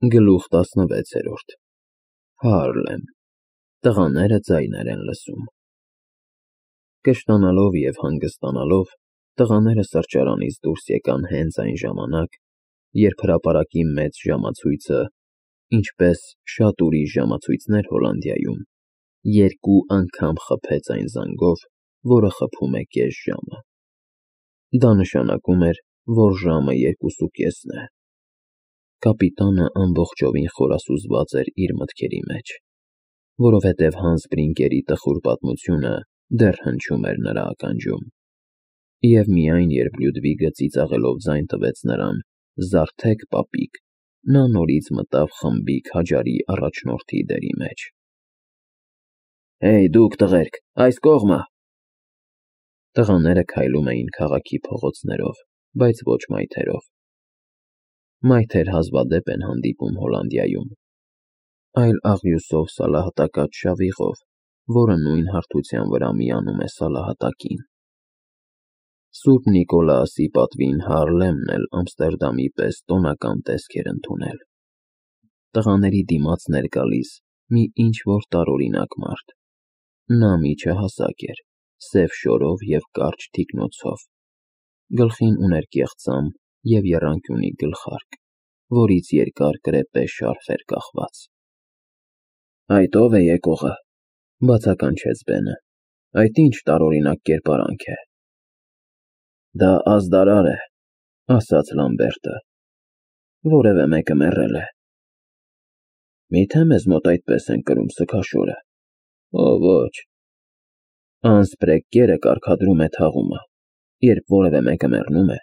Գլուխ 16 Հարլեմ Տղաները ձայներ են լսում Կշտանալով և հանգստանալով տղաները սրճարանից դուրս եկան հենց այն ժամանակ, երբ հրապարակի մեծ ժամացույցը, ինչպես շատ ուրիշ ժամացույցներ Հոլանդիայում, 2 անգամ խփեց այն զանգով, որը խփում է կես ժամը։ Դա նշանակում էր, որ ժամը 2:30 է։ Կապիտանը ամբողջովին խորասուզված էր իր մտքերի մեջ, որովհետև Հանս Բրինկերի տխուր պատմությունը դեռ հնչում էր նրա ականջում։ Եվ միայն երբ Լյուդվիգը ծիծաղելով ձայն տվեց նրան. «Զարթեք, պապիկ», նա նորից մտավ խմբի քաջարի առաջնորդի դերի մեջ։ «Հեյ, դուք տղերք, այս կողմը»։ Տղաները քայլում էին քաղաքի փողոցներով, բայց ոչ մայթերով։ Մայթեր հազվադեպ են հանդիպում Հոլանդիայում, այլ աղյուսով սալահատակած շավիղով, որը նույն հարթության վրա միանում է սալահատակին։ Սուրբ Նիկոլաասի պատվին Հարլեմն էլ Ամստերդամի պես տոնական տեսք էր ընդունել։ Տղաների դիմաց էր գալիս մի ինչ-որ տարօրինակ մարդ։ Նա միջահասակ էր, սև շորով և կարճ թիկնոցով, գլխին ուներ կեղծամ և եռանկյունի գլխարկ, որից երկար կրեպե շարֆ էր կախված։ «Այդ ո՞վ է եկողը», բացականչեց Բենը։ «Այդ ի՞նչ տարօրինակ կերպարանք է»։ «Դա ազդարար է», ասաց Լամբերտը։ «Որևէ մեկը մեռել է»։ «Մի՞թե մեզ մոտ այդպես են կրում սգաշորը»։ «Օ ոչ»։ Անսպրեգկերը կարգադրում է թաղումը։ Երբ որևէ մեկը մեռնում է,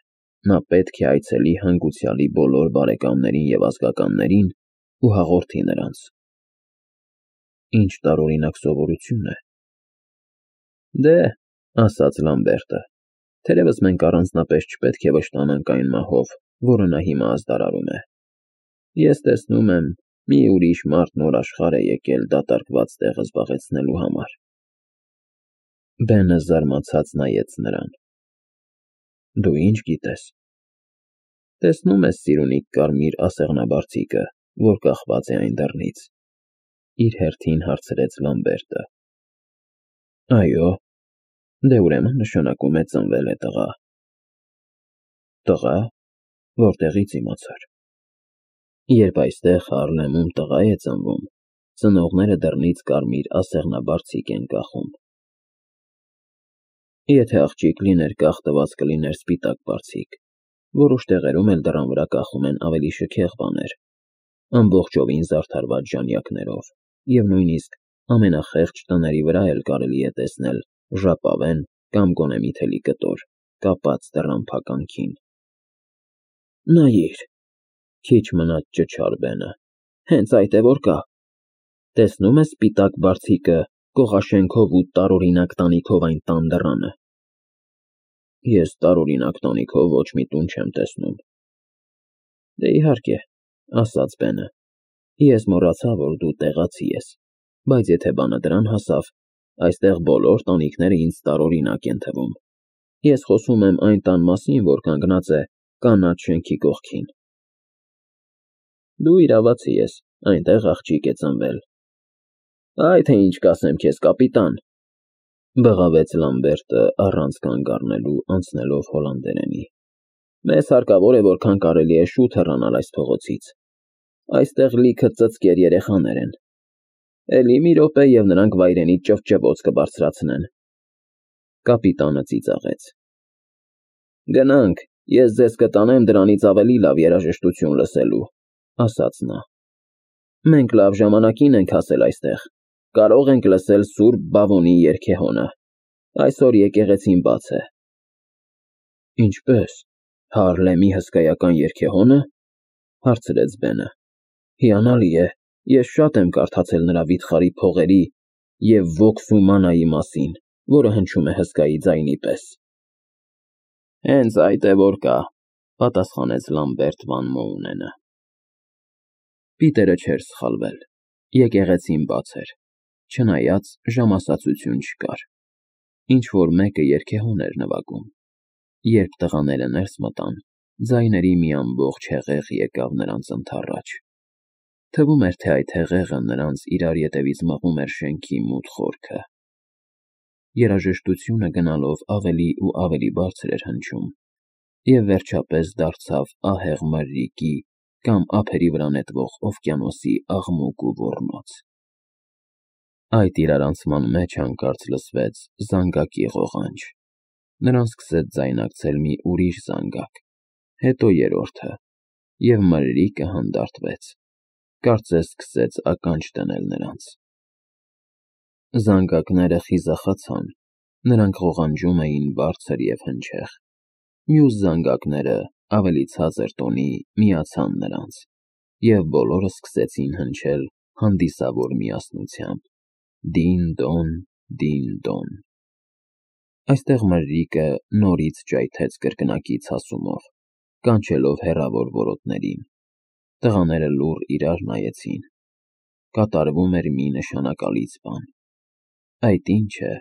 նա պետք է այցելի հանգուցյալի բոլոր բարեկամներին և ազգականներին ու հաղորդի նրանց։ Ինչ տարօրինակ սովորություն է։ Դե, ասաց Լամբերտը, թերևս մենք առանձնապես չպետք է վշտանանք այն մահով, որը նա հիմա ազդարարում է։ Ես տեսնում եմ, մի ուրիշ մարդ նոր աշխարհ է եկել դատարկված տեղը զբաղեցնելու համար։ Բենը զարմացած նայեց նրան։ Դու ինչ գիտես։ Տեսնում ես սիրունիկ կարմիր ասեղնաբարձիկը, որ կախված է այն դռնից, իր հերթին հարցրեց Լամբերտը։ Այո, դե ուրեմն նշանակում է ծնվել է տղա։ Տղա, որտեղից իմացար։ Երբ այստեղ Հարլեմում տղա է ծնվում, ծնողները դռնից կարմիր ասեղնաբարձիկ են կախում։ Եթե աղջիկ լիներ կախտված կլիներ սպիտակ բարձիկ, որոշ տեղերում էլ դռան վրա կախում են ավելի շքեղ բաներ, ամբողջովին զարդարված ժանյակներով, և նույնիսկ ամենախեղճ տների վրա էլ կարելի է տեսնել ժապավեն կամ գոնե մի թելի կտոր, կապած դռան փականքին։ Նայիր, քիչ մնաց ճչար Բենը, հենց այդ է որ կա։ Տեսնում ես սպիտակ բարձիկը կողաշենքով ու տարօրինակ տանիքով այն տան դռանը։ Ես տարօրինակ տանիքով ոչ մի տուն չեմ տեսնում։ Դե իհարկե, ասաց Բենը, ես մոռացա, որ դու տեղացի ես, բայց եթե բանը դրան հասավ, այստեղ բոլոր տանիքները ինձ տարօրինակ են թվում։ Ես խոսում եմ այն տան մասին, որ կանգնած է կանաչ շենքի կողքին։ Դու իրավացի ես, այնտեղ աղջիկ է ծնվել։ Այ թե ինչ կասեմ քեզ, կապիտան, բղավեց Լամբերտը առանց կանգ առնելու անցնելով հոլանդերենի։ Մեզ հարկավոր է որքան կարելի է շուտ հեռանալ այս փողոցից։ Այստեղ լիքը ծծկեր երեխաներ են։ Էլի մի րոպե և նրանք վայրենի ճվճվոց կբարձրացնեն։ Կապիտանը ծիծաղեց։ Գնանք, ես ձեզ կտանեմ դրանից ավելի լավ երաժշտություն լսելու, ասաց նա։ Մենք լավ ժամանակին ենք հասել այստեղ, կարող ենք լսել Սուրբ Բավոնի երգեհոնը։ Այսօր եկեղեցին բաց է։ Ինչպե՞ս, Հարլեմի հսկայական երգեհոնը, հարցրեց Բենը։ Հիանալի է, ես շատ եմ կարդացել նրա վիթխարի փողերի և Վոքսու մանայի մասին, որը հնչում է հսկայի ձայնի պես։ Հենց այդ է որ կա, պատասխանեց Լամբերտ Վան Մոունենը։ Պիտերը չէր սխալվել, եկեղեցին բաց էր, չնայած ժամասացություն չկար։ Ինչ-որ մեկը երգեհոն էր նվագում։ Երբ տղաները ներս մտան, ձայների մի ամբողջ հեղեղ եկավ նրանց ընդառաջ։ Թվում էր, թե այդ հեղեղը նրանց իրար ետևից մղում էր շենքի մութ խորքը։ Երաժշտությունը գնալով ավելի ու ավելի բարձր էր հնչում, և վերջապես դարձավ ահեղ մրրիկի կամ ափերի վրա նետվող օվկիանոսի աղմուկ ու ոռնոց։ Այդ իրարանցման մեջ հանկարծ լսվեց զանգակի ղողանջ։ Նրան սկսեց ձայնակցել մի ուրիշ զանգակ, հետո երրորդը, և մրրիկը հանդարտվեց, կարծես սկսեց ականջ դնել նրանց։ Զանգակները խիզախացան, նրանք ղողանջում էին բարձր և հնչեղ։ Մյուս զանգակները ավելի ցածր տոնի միացան նրանց, և բոլորը սկսեցին հնչել հանդիսավոր միասնությամբ. դին֊դոն, դին-դոն։ Այստեղ մրրիկը նորից ջայթեց կրկնակի ցասումով, կանչելով հեռավոր որոտներին։ Տղաները լուռ իրար նայեցին։ Կատարվում էր մի նշանակալից բան։ Այդ ի՞նչ է,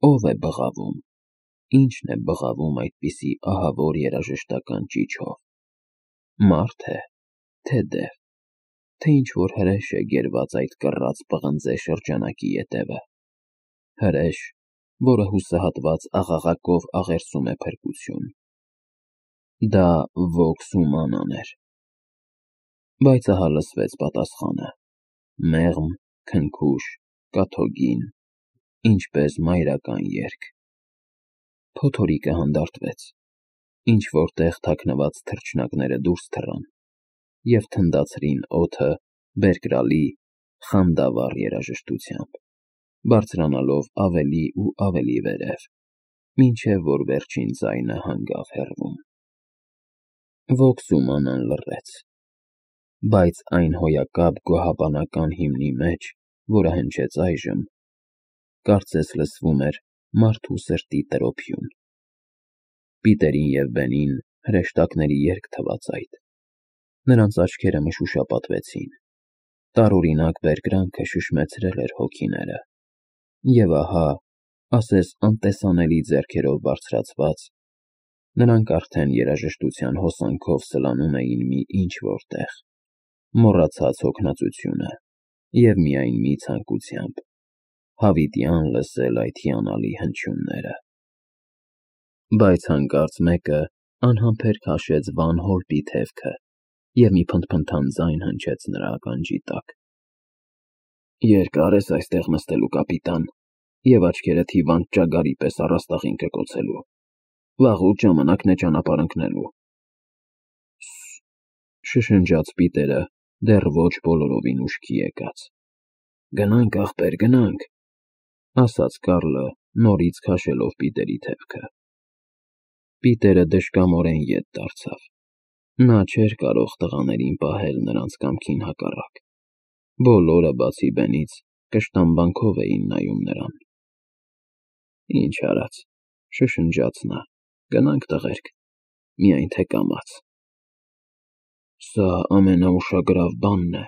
ո՞վ է բղավում, ի՞նչն է բղավում այդպիսի ահավոր երաժշտական ճիչով։ Մարդ է, թե դև, թե ինչ-որ հրեշ է գերված այդ կռած պղնձե շրջանակի ետևը։ Հրեշ, որը հուսահատված աղաղակով աղերսում է փրկություն։ Դա Vox Humanա-ն էր։ Բայց ահա լսվեց պատասխանը. մեղմ, քնքուշ, կաթոգին, ինչպես մայրական երգ։ Փոթորիկը հանդարտվեց, ինչ-որ տեղ թաքնված թռչնակները դուրս թռան և թնդացրին օդը բերկրալի, խանդավառ երաժշտությամբ, բարձրանալով ավելի ու ավելի վերև, մինչև որ վերջին ձայնը հանգավ հեռվում։ Vox Humanա-ն լռեց, բայց այն հոյակապ գոհաբանական հիմնի մեջ, որը հնչեց այժմ, կարծես լսվում էր մարդու սրտի տրոփյուն։ Պիտերին և Բենին հրեշտակների երգ թվաց այդ։ Նրանց աչքերը մշուշապատվեցին։ Տարօրինակ բերկրանքը շշմեցրել էր հոգիները։ Եվ ահա, ասես անտեսանելի ձեռքերով բարձրացված, նրանք արդեն երաժշտության հոսանքով սլանում էին մի ինչ-որ տեղ, մոռացած հոգնածությունը և միայն մի ցանկությամբ՝ հավիտյան լսել այդ հիանալի հնչյունները։ Բայց հանկարծ մեկը անհամբեր քաշեց վան հոլպի թևքը, և մի փնթփնթան ձայն հնչեց նրա ականջի տակ։ Երկար ես այստեղ նստելու, կապիտան, և աչքերդ հիվանդ ճագարի պես առաստաղին կկոցելու։ Վաղուց ժամանակն է ճանապարհ ընկնելու։ Շշնջաց Պիտերը, դեռ ոչ բոլորովին ուշքի եկած։ Գնանք, ախպեր, գնանք, ասաց Կարլը, նորից քաշելով Պիտերի թևքը։ Պիտերը դժկամորեն ետ դարձավ։ Նա չէր կարող տղաներին պահել նրանց կամքին հակառակ։ Բոլորը, բացի Բենից, կշտամբանքով էին նայում նրան։ Ինչ արած, շշնջաց նա, գնանք, տղերք, միայն թե կամաց։ Սա ամենաուշագրավ բանն է,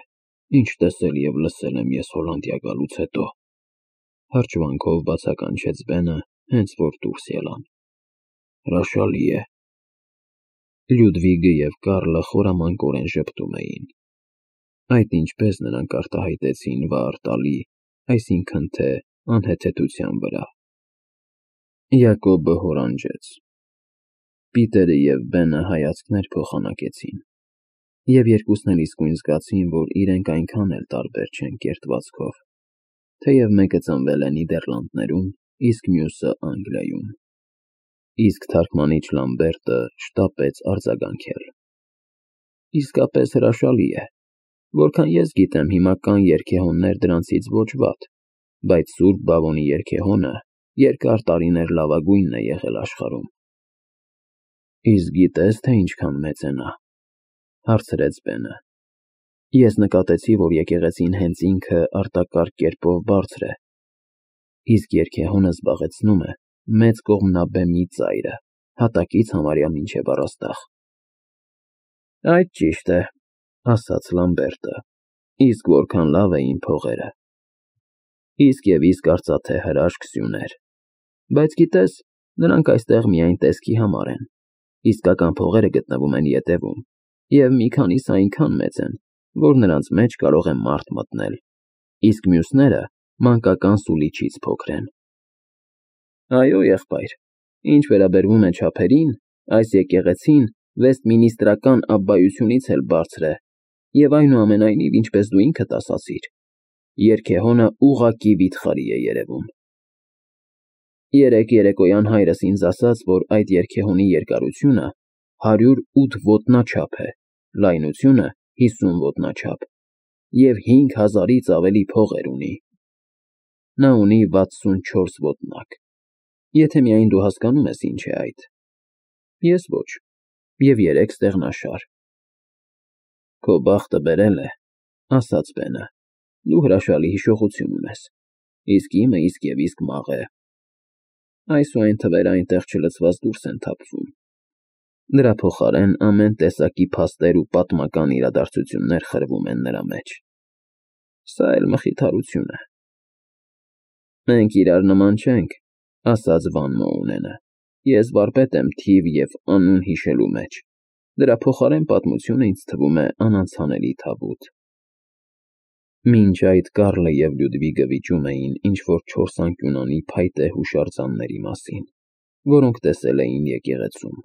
ինչ տեսել և լսել եմ ես Հոլանդիա գալուց հետո, հրճվանքով բացականչեց Բենը, հենց որ դուրս ելան։ Հրաշալի է։ Լյուդվիգը և Կարլը խորամանկորեն ժպտում էին։ Այդ ինչպես նրանք արտահայտեցին վառ տալի, այսինքն թե անհեթեթության վրա։ Յակոբը հորանջեց։ Պիտերը և Բենը հայացքներ փոխանակեցին, և երկուսն էլ իսկույն զգացին, որ իրենք այնքան էլ տարբեր չեն կերտվածքով, թեև մեկը ծնվել է Նիդերլանդներում, իսկ մյուսը Անգլիայում։ Իսկ թարգմանիչ Լամբերտը շտապեց արձագանքել. Իսկապես հրաշալի է։ Որքան ես գիտեմ, հիմա կան երգեհոններ դրանցից ոչ վատ, բայց Սուրբ Բավոնի երգեհոնը երկար տարիներ լավագույնն է եղել աշխարհում։ Իսկ գիտե՞ս, թե ինչքան մեծ է նա, հարցրեց Բենը։ Ես նկատեցի, որ եկեղեցին հենց ինքը արտակարգ կերպով բարձր է, իսկ երգեհոնը զբաղեցնում է մեծ կողմնաբեմի ծայրը, հատակից համարյա մինչև առաստաղ։ Այդ ճիշտ է, ասաց Լամբերտը, իսկ որքան լավ էին փողերը։ Իսկ և իսկ արծաթե հրաշք սյուներ։ Բայց գիտես, նրանք այստեղ միայն տեսքի համար են, իսկական փողերը գտնվում են ետևում, և մի քանիսը այնքան մեծ են, որ նրանց մեջ կարող է մարդ մտնել, իսկ մյուսները մանկական սուլիչից փոքր են։ Այո, եղբայր, ինչ վերաբերվում է չափերին, այս եկեղեցին վեստմինիստրական աբբայությունից էլ բարձր է, և այնուամենայնիվ, ինչպես դու ինքդ ասացիր, երգեհոնը ուղղակի վիթխարի է երևում։ Երեկ երեկոյան հայրս ինձ ասաց, որ այդ երգեհոնի երկարությունը 108 ոտնաչափ է, լայնությունը 50 ոտնաչափ և 5000-ից ավելի փողեր ունի։ Նա ունի 64 ոտնակ, եթե միայն դու հասկանում ես ինչ է այդ։ Ես ոչ, և 3 ստեղնաշար։ Քո բախտը բերել է, ասաց Բենը, դու հրաշալի հիշողություն ունես, իսկ իմը իսկ և իսկ մաղ է։ Այսուայն թվերը այնտեղ չլցված դուրս են թափվում։ Դրա փոխարեն ամեն տեսակի փաստեր ու պատմական իրադարձություններ խրվում են նրա մեջ։ Սա էլ մխիթարություն է։ Մենք իրար նման չենք, ասաց Վան Մոունենը, ես վարպետ եմ թիվ և անուն հիշելու մեջ, դրա փոխարեն պատմությունը ինձ թվում է անանցանելի թավուտ։ Մինչ այդ Կարլը և Լյուդվիգը վիճում էին ինչ-որ 4 անկյունանի փայտե հուշարձանների մասին, որոնք տեսել էին եկեղեցում։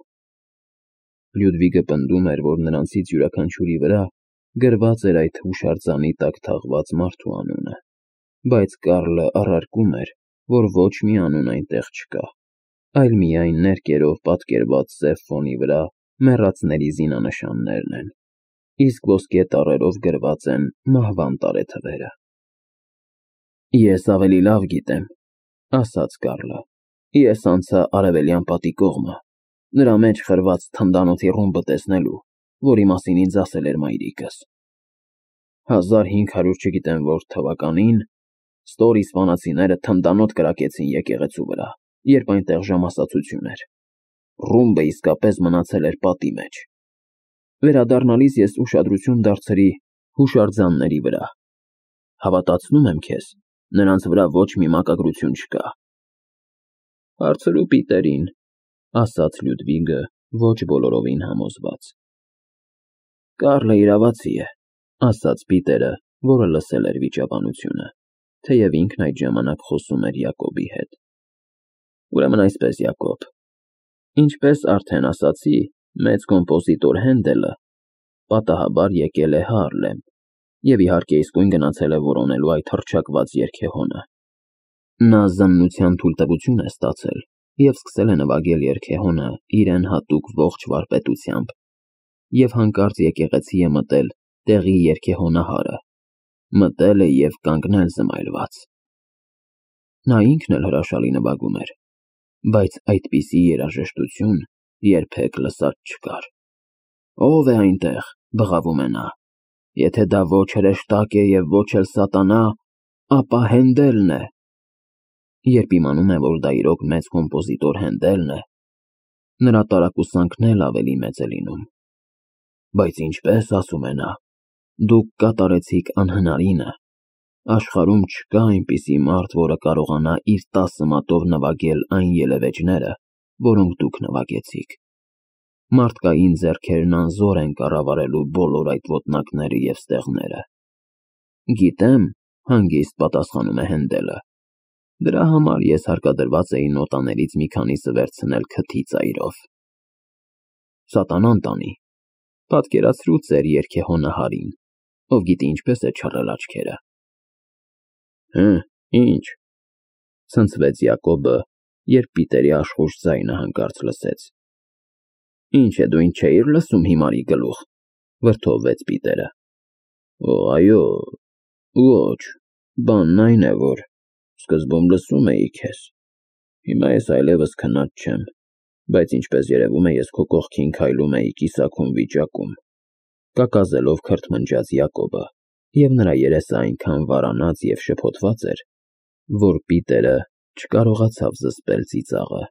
Լյուդվիգը պնդում էր, որ նրանցից յուրաքանչյուրի վրա գրված էր այդ հուշարձանի տակ թաղված մարդու անունը, բայց Կարլը առարկում էր, որ ոչ մի անուն այնտեղ չկա, այլ միայն ներկերով պատկերված սև ֆոնի վրա մեռածների զինանշաններն են, իսկ ոսկե տառերով գրված են մահվան տարեթվերը։ Ես ավելի լավ գիտեմ, ասաց Կարլը, ես անցա արևելյան պատի կողմը, նրա մեջ խրված թնդանոթի ռումբը տեսնելու, որի մասին ինձ ասել էր մայրիկս։ 1500 չգիտեմ որ թվականին Ստորի սպանացիները թնդանոթ կրակեցին եկեղեցու վրա, երբ այնտեղ ժամասացություն էր։ Ռումբը իսկապես մնացել էր պատի մեջ։ Վերադառնալիս ես ուշադրություն դարձրի հուշարձանների վրա։ Հավատացնում եմ քեզ, նրանց վրա ոչ մի մակագրություն չկա։ Հարցրու Պիտերին, ասաց Լյուդվիգը ոչ բոլորովին համոզված։ Կարլը իրավացի է, ասաց Պիտերը, որը լսել էր վիճաբանությունը, թեև ինքն այդ ժամանակ խոսում էր Յակոբի հետ։ Ուրեմն այսպես, Յակոբ, ինչպես արդեն ասացի, մեծ կոմպոզիտոր Հենդելը պատահաբար եկել է Հարլեմ և իհարկե իսկույն գնացել է որոնելու այդ հռչակված երգեհոնը։ Նա զննության թույլտվություն է ստացել և սկսել է նվագել երգեհոնը իրեն հատուկ ողջ վարպետությամբ և հանկարծ եկեղեցի է մտել տեղի երգեհոնահարը, մտել է և կանգնել զմայլված։ Նա ինքն էլ հրաշալի նվագում էր, բայց այդպիսի երաժշտություն երբեք լսած չկար։ Ո՞վ է այնտեղ, բղավում է նա, եթե դա ոչ հրեշտակ է և ոչ էլ սատանա, ապա Հենդելն է։ Երբ իմանում է, որ դա իրոք մեծ կոմպոզիտոր Հենդելն է, նրա տարակուսանքն էլ ավելի մեծ է լինում։ Բայց ինչպես, ասում է նա, դուք կատարեցիք անհնարինը, աշխարհում չկա այնպիսի մարդ, որը կարողանա իր 10 մատով նվագել այն ելևէջները, որոնք դուք նվագեցիք։ Մարդկային ձեռքերն անզոր են կառավարելու բոլոր այդ ոտնակները և ստեղները։ Գիտեմ, հանգիստ պատասխանում է Հենդելը, դրա համար ես հարկադրված էի նոտաներից մի քանիսը վերցնել քթի ծայրով։ Սատանան տանի, պատկերացրու ձեր երգեհոնահարին, ով գիտի ինչպես է չռել աչքերը։ Ինչ, ցնցվեց Յակոբը, երբ Պիտերի աշխույժ ձայնը հանկարծ լսեց։ Ինչ է, դու ինձ չէիր լսում հիմարի գլուխ, վրդովվեց Պիտերը։ Այո, ոչ, բանն այն է, որ սկզբում լսում էի քեզ, հիմա ես այլևս քնած չեմ, բայց ինչպես երևում է, ես քո կողքին քայլում էի կիսաքուն վիճակում, կակազելով քրթմնջաց Յակոբը, և նրա երեսը այնքան վարանած և շփոթված էր, որ Պիտերը չկարողացավ զսպել ծիծաղը։